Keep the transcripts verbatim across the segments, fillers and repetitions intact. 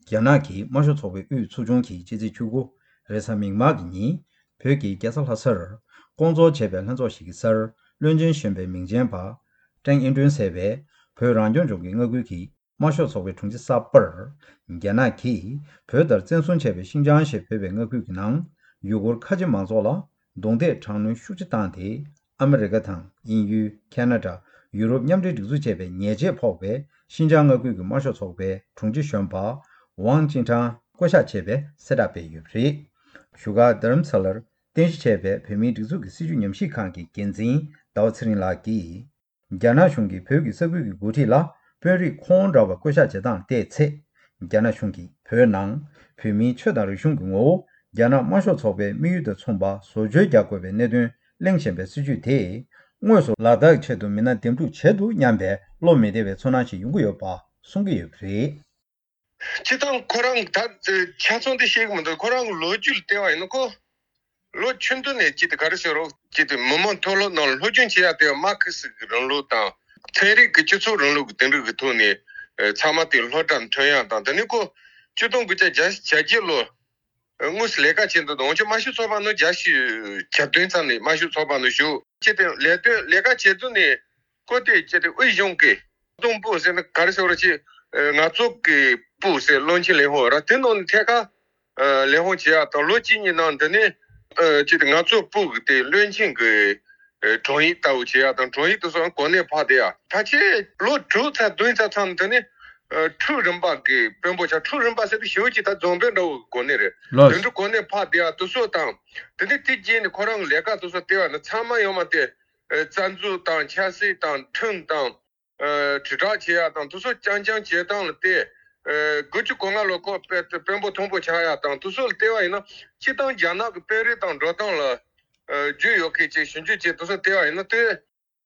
རྒྱ་ནག་གི་དམར་ཤོག་ཚོགས་པའི་དབུས་ཚོགས་ཆུང་གིས་ཕྱི་ཚེས་བཅུ་དགུ་རེས་གཟའ་མིག་དམར་གྱི་ཉིན་བོད་ཀྱི་རྒྱལ་ས་ལྷ་སར་བསྐོང་ཚོགས་བྱས་པའི་ལྷན་ཚོགས་ཤིག་གི་སར་བློན་ཆེན་གཞོན་པའི་མིང་ཅན་པ་ཀྲེང་ཨེ་ཀྲུན་ཟེར་བས་བོད་རང་སྐྱོང་ལྗོངས་ཀྱི་མངའ་ཁུལ་གྱི་དམར་ཤོག་ཚོགས་པའི་དྲུང་ཆེ་གསར་པར་རྒྱ་ནག་གིས་བོད་ལྟར་བཙན་བཟུང་བྱས་པའི་ཤིན་ཅང་ཞེས་འབོད་པའི་མངའ་ཁུལ་གྱི་ནང་ཡུ་གུར་ཁ་ཆེ་མང་ཚོགས་ལ་རྡུང་རྡེག་དྲག་གནོན་ཤུགས་ཆེ་བཏང་སྟེ། ཨ་མི་རི་ཀ་དང་དབྱིན་ཡུལ། ཁ་ན་ཌ། ཡུ་རོབ་མཉམ་འབྲེལ་སྒྲིག་འཛུགས་བཅས་པའི་ཉེས་ཆད་ཕོག་པའི་ཤིན་ཅང་མངའ་ཁུལ་གྱི་དམར་ཤོག་ཚོགས་པའི་དྲུང་ཆེ་གཞོན་པ་ཝང་ཅིན་ཀྲང་བསྐོ་གཞག་བྱས་པའི་གསལ་བསྒྲགས་སྤེལ་ཡོད་པ་རེད། བཞུགས་སྒར་རྡ་རམ་ས་ལར་རྟེན་གཞི་བྱས་པའི་བོད་མིའི་སྒྲིག་འཛུགས་ཀྱི་སྲིད་བྱུས་ཉམས་ཞིབ་ཁང་གི་འགན་འཛིན་ཟླ་བ་ཚེ་རིང་ལགས་ཀྱིས། རྒྱ་ནག་གཞུང་གིས་བོད་ཀྱི་ས་ཁུལ་གྱི་འགོ་ཁྲིད་ལ་དཔོན་རིགས་ཁོང་འདྲ་བ་བསྐོ་གཞག་བྱེད་སྟངས་ལ་བལྟས་ཚེ། རྒྱ་ནག་གཞུང་གིས་བོད་ནང་བོད་མིའི་ཆོས་དང་རིག་གཞུང་གི་ངོ་བོ་རྒྱ་ནག་དམར་ཤོག་ཚོགས་པའི་དམིགས་ཡུལ་དང་མཚུངས་པ་བཟོ་བཅོས་རྒྱག་དགོས་པའི་གནད་དོན་གླེང་བཞིན་པའི་སྲིད་བྱུས་དེས། དངོས་སུ་ལག་བསྟར་གྱི་ཆེད་དུ་མི་སྣ་འདེམས་སྒྲུག་བྱེད་འདུག་སྙམ་པའི་བློ་མི་བདེ་བའི་ཚོར་སྣང་ཞིག་ཡོང་གི་ཡོད་པ་གསུང་གི་ཡོད་པ་རེད། སྤྱིར་བཏང་ཁོ་རང་ད་ཆ་ཚང་དེ་ཤེས་ཀྱི་མི་འདུག་ཁོ་རང་གི་ལོ་རྒྱུས་ལ་བལྟས་པ་ཡིན་ན་ཁོ། ལོ་ཆུང་དུས་ནས་ཅིག་དེ་ག་རེ་ཟེར་རོ། ཅིག་དེ་མི་མང་མཐོ་སློབ་ནང་ལ་སློབ་སྦྱོང་བྱེད་ཡག་དེ་མར་ཁེ་སི་གི་རིང་ལུགས་དང་། ཚན་རིག་གི་སྤྱི་ཚོགས་རིང་ལུགས་ཀྱི་དེ་འདྲ་གི་ཐོག་ནས་ཚང་མ་དེ་སློབ་གྲྭར་ཐོན་ཡག་དང་། དེ་ནས་ཁོ་ཆིག་སྟོང་དགུ་བརྒྱ་བརྒྱད་ཅུ་གྱ་བརྒྱད་ལོ་དངོས་སུ་ལས་ཀ་བྱེད་འདུག་དང་། འོན་ཀྱང་དམར་ཤོག་ཚོགས་པ་ནི་བརྒྱད་ཅུ་གྱ་བདུན་ཙམ་ནས་དམར་ཤོག་ཚོགས་པ་ནང་ཞུགས་བྱས་ཏེ་ལས་དོན་ལས་ཀ་བྱེད་དུས་ནས། ཁོ་དེ་ཅི་སྟེ་དབུས་གཞུང་གི་སྟོང་པོ་ཟེར་ན་ག་རེ་ཟེར་བ་ཅི། ང་ཚོ་གི་པུ་ཟེར་བློན་ཆེན་ལས་ཁུངས་ར་དེ་ནང་ནས་ཐད་ཀར་ལས་ཁུངས་བྱེད་ཡག་དང་། ལོ་གཅིག་གཉིས་ནང་འདི་ནས་ཅི་སྟེ་ང་ཚོ་པུ་གི་དེ་བློན་ཆེན་གི་དྲུང་ཡིག་ལྟ་བུ་བྱེད་ཡག་དང་། དྲུང་ཡིག་དེ་ཚོ་གོ་གནས་འཕར་བསྡད་ཡག་ཕལ་ཆེར་ལོ་དྲུག་ཙམ་བདུན་ཙམ་ཚང་ནས་འདི་ནས་ཁྲུའུ་རིམ་པ་གི་དཔོན་པོ་ཆགས། ཁྲུའུ་རིམ་པ་ཟེར་དུས་ཞེ་པོ་ཅིག་ད་རྫོང་དཔོན་འདྲ་བོ་གི་གོ་གནས་རེད། དེ་འདྲ་གོ་གནས་འཕར་བསྡད་ཡག་དེ་ཚོ་དང་། དེ་ནས་དེ་རྗེས་ནས་ཁོ་རང་གི་ལས་ཀ་དེ་ཚོ་བལྟས་པ་ན་ཚང་མ་ཡོད་མ་རེད། རྩ་འཛུགས་དང་ཆབ་སྲིད་དང་ཁྲིམས་དང་། དྲིལ་བསྒྲགས་བྱེད་ཡག་དང་དེ་ཚོ་རྐྱང་རྐྱང་བྱེད་སྟངས་ལ་བལྟས། དགུ་བཅུ་གོ་ལྔ་ལོ་ཁོ་དཔོན་དཔོན་པོ་མཐོན་པོ་ཆགས་ཡག་དང་དེ་ཚོ་ལ་བལྟས་པ་ཡིན་ན། སྤྱིར་བཏང་རྒྱ་ནག་གི་དཔོན་རིགས་དང་འགྲོ་སྟངས་ལ་རྒྱུས་ཡོད་མཁན་ཅིག་ཞིབ་འཇུག་བྱས་དེ་ཚོ་བལྟས་པ་ཡིན་ན། དེ་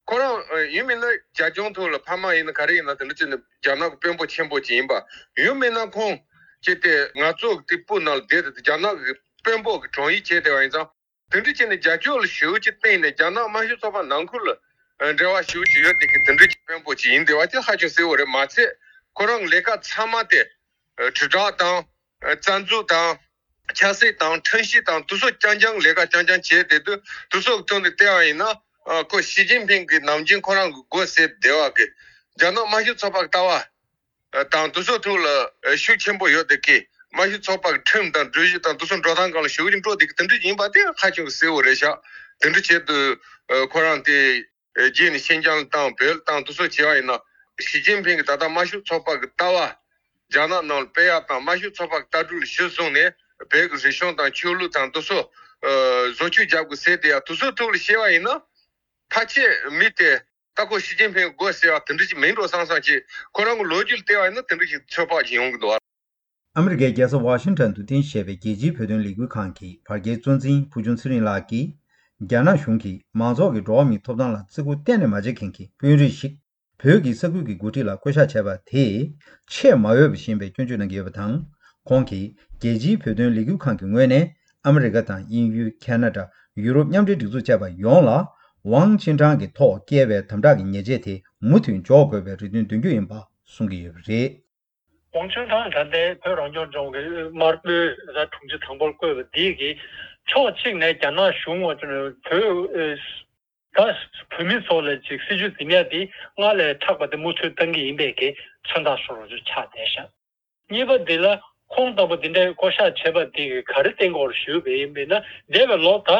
ཁོ་རང་ཡིན་མིན་ན་རྒྱ་གཞུང་ཐོག་ལ་ཕ་མ་ཡིན་ན་ག་རེ་ཡིན་ན་དེ་འདྲ་བྱས་ནས་རྒྱ་ནག་གི་དཔོན་པོ་ཆེན་པོ་ཅིག་ཡིན་པ། ཡིན་མིན་ན་ཁོང་ཅི་སྟེ་ང་ཚོ་དེ་པུ་ནང་ལ་བསྡད་དེ་རྒྱ་ནག་གི་དཔོན་པོ་གི་དྲུང་ཡིག་བྱས་བསྡད་པ་ཡིན་ཙང་། དེ་འདྲ་བྱས་ནས་རྒྱ་ཕྱོགས་ལ་ཞེ་པོ་ཅིག་བརྟེན་ནས་རྒྱ་ནག་དམར་ཤོག་ཚོགས་པ་ནང་ཁུལ་ལ་འབྲེལ་བ་ཞེ་པོ་ཅིག་ཡོད་བསྡད་མཁན་དེ་འདྲ་གི་དཔོན་པོ་ཅིག་ཡིན་བསྡད་པ་དེ་ཧ་ཅང་གསལ་པོ་རེད། མ་ཚད་ཁོ་རང་གི་ལས་ཀ་ཚང་མ་དེ་དྲིལ་བསྒྲགས་དང་། རྩ་འཛུགས་དང་། ཆབ་སྲིད་དང་། ཁྲིམས་ཞིབ་དང་། དེ་ཚོ་རྐྱང་རྐྱང་ལས་ཀ་རྐྱང་རྐྱང་བྱས་བསྡད་དུས། དེ་ཚོ་གི་ཐོག་ནས་བལྟས་པ་ཡིན་ན། ཁོ་ཞི་ཅིན་ཕིང་གིས་ནམ་རྒྱུན་ཁོ་རང་གི་སྒོ་ཟེར་བསྡད་པ་གི་རྒྱ་ནག་དམར་ཤོག་ཚོགས་པ་གི་ལྟ་བ། དང་དེ་ཚོ་ཐོག་ལ་ཤུགས་ཆེན་པོ་ཡོད་བསྡད་མཁན། དམར་ཤོག་ཚོགས་པ་གི་ཁྲིམས་དང་སྒྲིག་གཞི་དང་དེ་ཚོ་འགྲོ་སྟངས་སྒང་ལ་ཞེ་པོ་ཅིག་འགྲོ་བསྡད་མཁན་དེ་འདྲ་ཡིན་པ་དེ་ཧ་ཅང་གི་གསལ་པོ་རེད་ཤག་དེ་འདྲ་བྱས་དུས་ཁོ་རང་དེ་རྗེས་ནས་ཤིན་ཅང་དང་བོད་དང་དེ་ཚོ་བྱས་པ་ཡིན་ན། ཞི་ཅིན་ཕིང་གིས་ད་ལྟ་དམར་ཤོག་ཚོགས་པ་གི་ལྟ་བ་རྒྱ་ནག་ནང་ལ་སྤེལ་ཡག་དང་། དམར་ཤོག་ཚོགས་པ་གི་ལྟ་གྲུབ་ལ་གཞི་བཟུང་ནས་བོད་ཀྱི་རིག་གཞུང་དང་ཆོས་ལུགས་དང་དེ་ཚོ་བཟོ་བཅོས་རྒྱག་དགོས་ཟེར་བསྡད་ཡག་དེ་ཚོ་ཐོག་ལ་བཤད་པ་ཡིན་ན། ཕལ་ཆེར་མི་དེ་ད་ཁོ་ཞི་ཅིན་ཕིང་གི་མགོ་སེར་བ་དེ་འདྲ་ཞིག་མིན་འགྲོ་བསམ་བསམ་ཅིག་ཁོ་རང་གི་ལོ་རྒྱུས་ལ་བལྟས་པ་ཡིན་ན་དེ་འདྲ་ཞིག་ཚོད་དཔག་ཅིག་ཡོང་གི་འདུག་ཨ། ཨ་མི་རི་ཀའི་རྒྱལ་ས་ཝ་ཤིང་ཊོན་དུ་རྟེན་གཞི་བྱས་པའི་རྒྱལ་སྤྱིའི་བོད་དོན་ལས་འགུལ་ཁང་གི་བར་བརྒལ་གཙོ་འཛིན་ཕུར་ཆུང་ཚེ་རིང་ལགས་ཀྱིས། རྒྱ་ནག་གཞུང་གིས་མང་ཚོགས་ཀྱི་འགྲོ་བ་མིའི་ཐོབ་ཐང་ལ་བརྩི་བཀུར་གཏན་ནས་མ་བྱེད་མཁན་གྱི་དཔོན་རིགས་ཤིག་བོད་ཀྱི་ས་ཁུལ་གྱི་འགོ་ཁྲིད་ལ་བསྐོ་གཞག་བྱས་པ་དེས་ཆེས་མ་འོས་པ་ཞིག་ཡིན་པའི་སྐྱོན་བརྗོད་གནང་གི་ཡོད་པ་དང་། ཁོང་གིས་རྒྱལ་སྤྱིའི་བོད་དོན་ལས་འགུལ་ཁང་གི་ངོས་ནས་ཨ་མི་རི་ཀ་དང་དབྱིན་ཡུལ། ཁ་ན་ཌ། ཡུ་རོབ་མཉམ་འབྲེལ་སྒྲིག་འཛུགས་བཅས་པ་ཡོངས་ལ་ཝང་ཅིན་ཀྲང་གི་ཐོག་བཀལ་བའི་དམ་དྲག་གི་ཉེས་ཆད་དེ་མུ་མཐུད་འཇོག་དགོས་པའི་རེ་འདུན་འདོན་རྒྱུ་ཡིན་པ་གསུང་གི་ཡོད་པ་རེད། ཝང་ཅིན་ཀྲང་ད་ལྟའི་བོད་རང་སྐྱོང་ལྗོངས་ཀྱི་དམར་པོའི་དྲུང་ཆེ་དང་པོར་བསྐོས་པ་འདི་གིས་ཕྱོགས་གཅིག་ནས་རྒྱ་ནག་གཞུང་བ་བོད་ད་བོད་མི་ཚོ་ལ་ཅིག་སྲིད་བྱུས་འཛིན་ཡ་དེ་སྔར་ལས་མཁྲེགས་པ་དེ་མུ་མཐུད་གཏང་གི་ཡིན་པའི་གི་མཚོན་རྟགས་བཟོ་འདྲ་ཅིག་ཆགས་བསྡད་ཤག་གཉིས་པ་འདི་ལ་ཁོང་ལྟ་བུ་འདི་འདྲའི་བསྐོ་གཞག་བྱས་པ་འདི་གིས་ག་རེ་བསྟན་དགོས་རེད་ཞུས་པ་ཡིན་ན། འདས་པའི་ལོ་ད་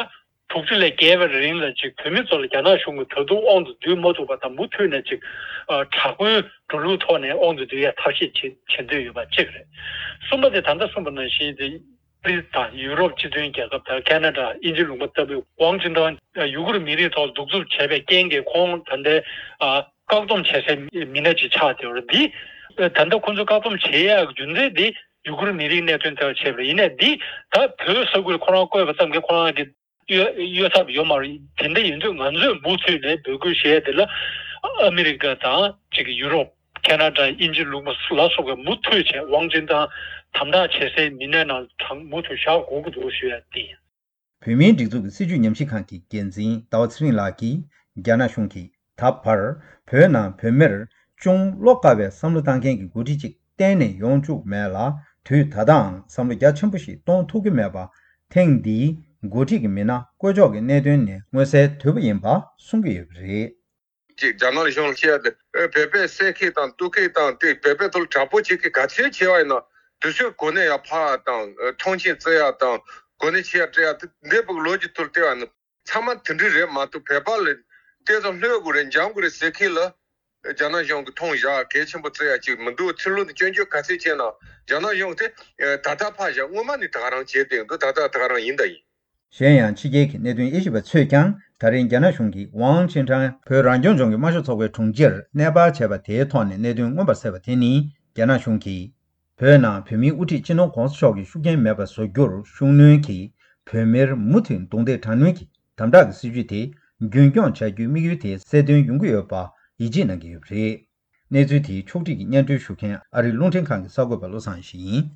དྲུག་ཅུ་ལས་བརྒལ་བའི་རིང་ལ་ཅིག་བོད་མི་ཚོ་ལ་རྒྱ་ནག་གཞུང་གིས་ད་དུང་དབང་དུ་བསྡུ་མ་ཐུབ་པ་དང་། མུ་མཐུད་ནས་ཅིག་དྲག་པོའི་འགྲོ་ལུགས་ཐོག་ནས་དབང་དུ་བསྡུ་ཡ་ཐབས་ཤེས་བྱེད་བྱེད་འདོད་ཡོད་པ་གཅིག་རེད། གསུམ་པ་དེ་ད་ལྟ་གསུངས་པ་ནང་བཞིན་དེ། ཨ་རི་དང་ཡུ་རོབ་སྤྱི་མཐུན་རྒྱལ་ཁབ་དང་ཁ་ན་ཌ། དབྱིན་ཇི་ལུང་པ་ལྟ་བུའི་ཝང་ཅིན་ཀྲང་ཡུ་གུར་མི་རིགས་ཐོག་གདུག་རྩུབ་བྱས་པའི་རྐྱེན་གྱིས་ཁོང་ད་ལྟའི་ཨ་བཀག་སྡོམ་བྱེད་སའི་མི་སྣ་ཅིག་ཆགས་བསྡད་ཡོད་རེད། འདི་ད་ལྟ་ཁོང་ཚོ་བཀག་སྡོམ་བྱེད་ཡག་རྒྱུ་མཚན་འདི་ཡུ་གུར་མི་རིགས་གནད་དོན་ཐད་ཀར་བྱས་པ་རེད། ཡིན་ནའི་འདི་ད་བོད་ས་ཁུལ་ཁོ་རང་བསྐོས་པ་ཙམ་གྱིས་ཁོ་རང་གི་གཡོ་གཡོ་ཐབས་ཡོད་མ་རེད། དེ་འདྲ་ཡིན་དུས་ང་ཚོས་མུ་མཐུད་ནས་འབོད་སྐུལ་བྱས་དེ་ལ་ཨ་མི་རི་ཀ་དང་ཅིག་ཡུ་རོབ། ཁ་ན་ཌ། དབྱིན་ཇི་ལུང་པ་ལ་སོགས་པའི་མུ་མཐུད་བྱས་ཝང་ཅིན་ཀྲང་དམ་དྲག་བྱེད་སའི་མི་སྣའི་ནང་གྲངས་མུ་མཐུད་བཞག་དགོས་ཀྱི་འདུག་ཞུ་ཡ་དེ་ཡིན། བོད་མིའི་སྒྲིག་འཛུགས་ཀྱི་སྲིད་བྱུས་ཉམས་ཞིབ་ཁང་གི་འགན་འཛིན་ཟླ་བ་ཚེ་རིང་ལགས་ཀྱིས། རྒྱ་ནག་གཞུང་གིས་ད་བར་བོད་ནང་བོད་མིར་ཅུང་བློ་དཀར་བའི་བསམ་བློ་བཏང་མཁན་གྱི་འགོ་ཁྲིད་ཅིག་གཏན་ནས་ཡོང་བཅུག་མེད་ལ། དུས་ད་ལྟའང་བསམ་བློ་རྒྱ་ཆེན་པོ་ཞིག་གཏོང་ཐུབ་ཀྱི་མེད་པ། ཐེངས་འདིའི་འགོ་ཁྲིད་ཀྱི་མི་སྣ་བསྐོ་ཕྱོགས་ཀྱི་གནད་དོན་ནས་མངོན་གསལ་དོད་པོ་ཡིན་པ་གསུང་གི་ཡོད་པ་རེད། ཅིག་རྒྱ་ནག་གཞུང་ལ་བཤད་ཡ་དེ་བོད་པའི་བསད་མཁན་དང་གཏུབ་མཁན་དང་དེ་བོད་པའི་ཐོག་ལ་དྲག་པོ་བྱེད་མཁན་ག་ཚོད་བྱས་པ་ཡིན་ན་དུས་ཚོད་གོ་གནས་ཡར་འཕར་ཡ་དང་མཐོང་ཆེན་བརྩི་ཡ་དང་གོ་གནས་ཆེ་ཡར་སྤྲད་ཡ་དེ་འདི་བུ་ལོ་རྒྱུས་ཐོག་ལ་བལྟས་པ་ཡིན་ན་ཚང་མ་དེ་འདྲ་རེད་མ་གཏོགས་བོད་པ་ལ་བལྟས་ཙང་ལྷོད་དགོས་རེད་འཇམ་དགོས་རེད་ཟེར་མཁན་ལ་རྒྱ་ནག་གཞུང་གིས་མཐོང་བཞག་གལ་ཆེན་པོ་བརྩི་ཡ་ཅིག་མི་འདུག་ཚུར་ལོག་ནས་སྐྱོན་བརྗོད་ག་ཚོད་བྱས་ན་རྒྱ་ནག་གཞུང་དེ་ད་ལྟ་ཕར་བཞག་སྔོན་མ་ནས་ད་ག་རང་བྱས་བསྡད་འདུག་ད་ལྟ་ད་ག་རང་ཡིན་ད་ཡིན། གཞན་ཡང་ཕྱི་རྒྱལ་གྱི་གནད་དོན་དབྱེ་ཞིབ་པ་ཚོས་ཀྱང་ད་རིང་རྒྱ་ནག་གཞུང་གིས་ཝང་ཅིན་ཀྲང་བོད་རང་སྐྱོང་ལྗོངས་ཀྱི་དམར་ཤོག་ཚོགས་པའི་དྲུང་ཆེར་གནས་སྤར་བྱས་པ་དེའི་ཐོག་ནས་གནད་དོན་མངོན་པར་གསལ་བ་དེ་ནི་རྒྱ་ནག་གཞུང་གིས་བོད་ནང་བོད་མིའི་དབུ་ཁྲིད་སྤྱི་ནོར་༧གོང་ས་མཆོག་གི་ཤུགས་རྐྱེན་མེད་པར་བཟོ་རྒྱུར་ཤུགས་སྣོན་གྱིས་བོད་མིར་མུ་མཐུད་རྡུང་རྡེག་དྲག་གནོན་གྱི་དམ་དྲག་གི་སྲིད་བྱུས་དེ་རྒྱུན་སྐྱོང་བྱ་རྒྱུའི་དམིགས་ཡུལ་དེ་གསལ་སྟོན་ཡོང་གི་ཡོད་པ་ཡིད་ཆེས་གནང་གི་ཡོད་པ་རེད། གནས་ཚུལ་དེའི་ཕྱོགས་སྒྲིག་གིས་སྙན་སྒྲོན་ཞུ་མཁན་ཨ་རིའི་རླུང་འཕྲིན་ཁང་གི་གསར་འགོད་པ་བློ་བཟང་ཡེ་ཤེས་ཡིན།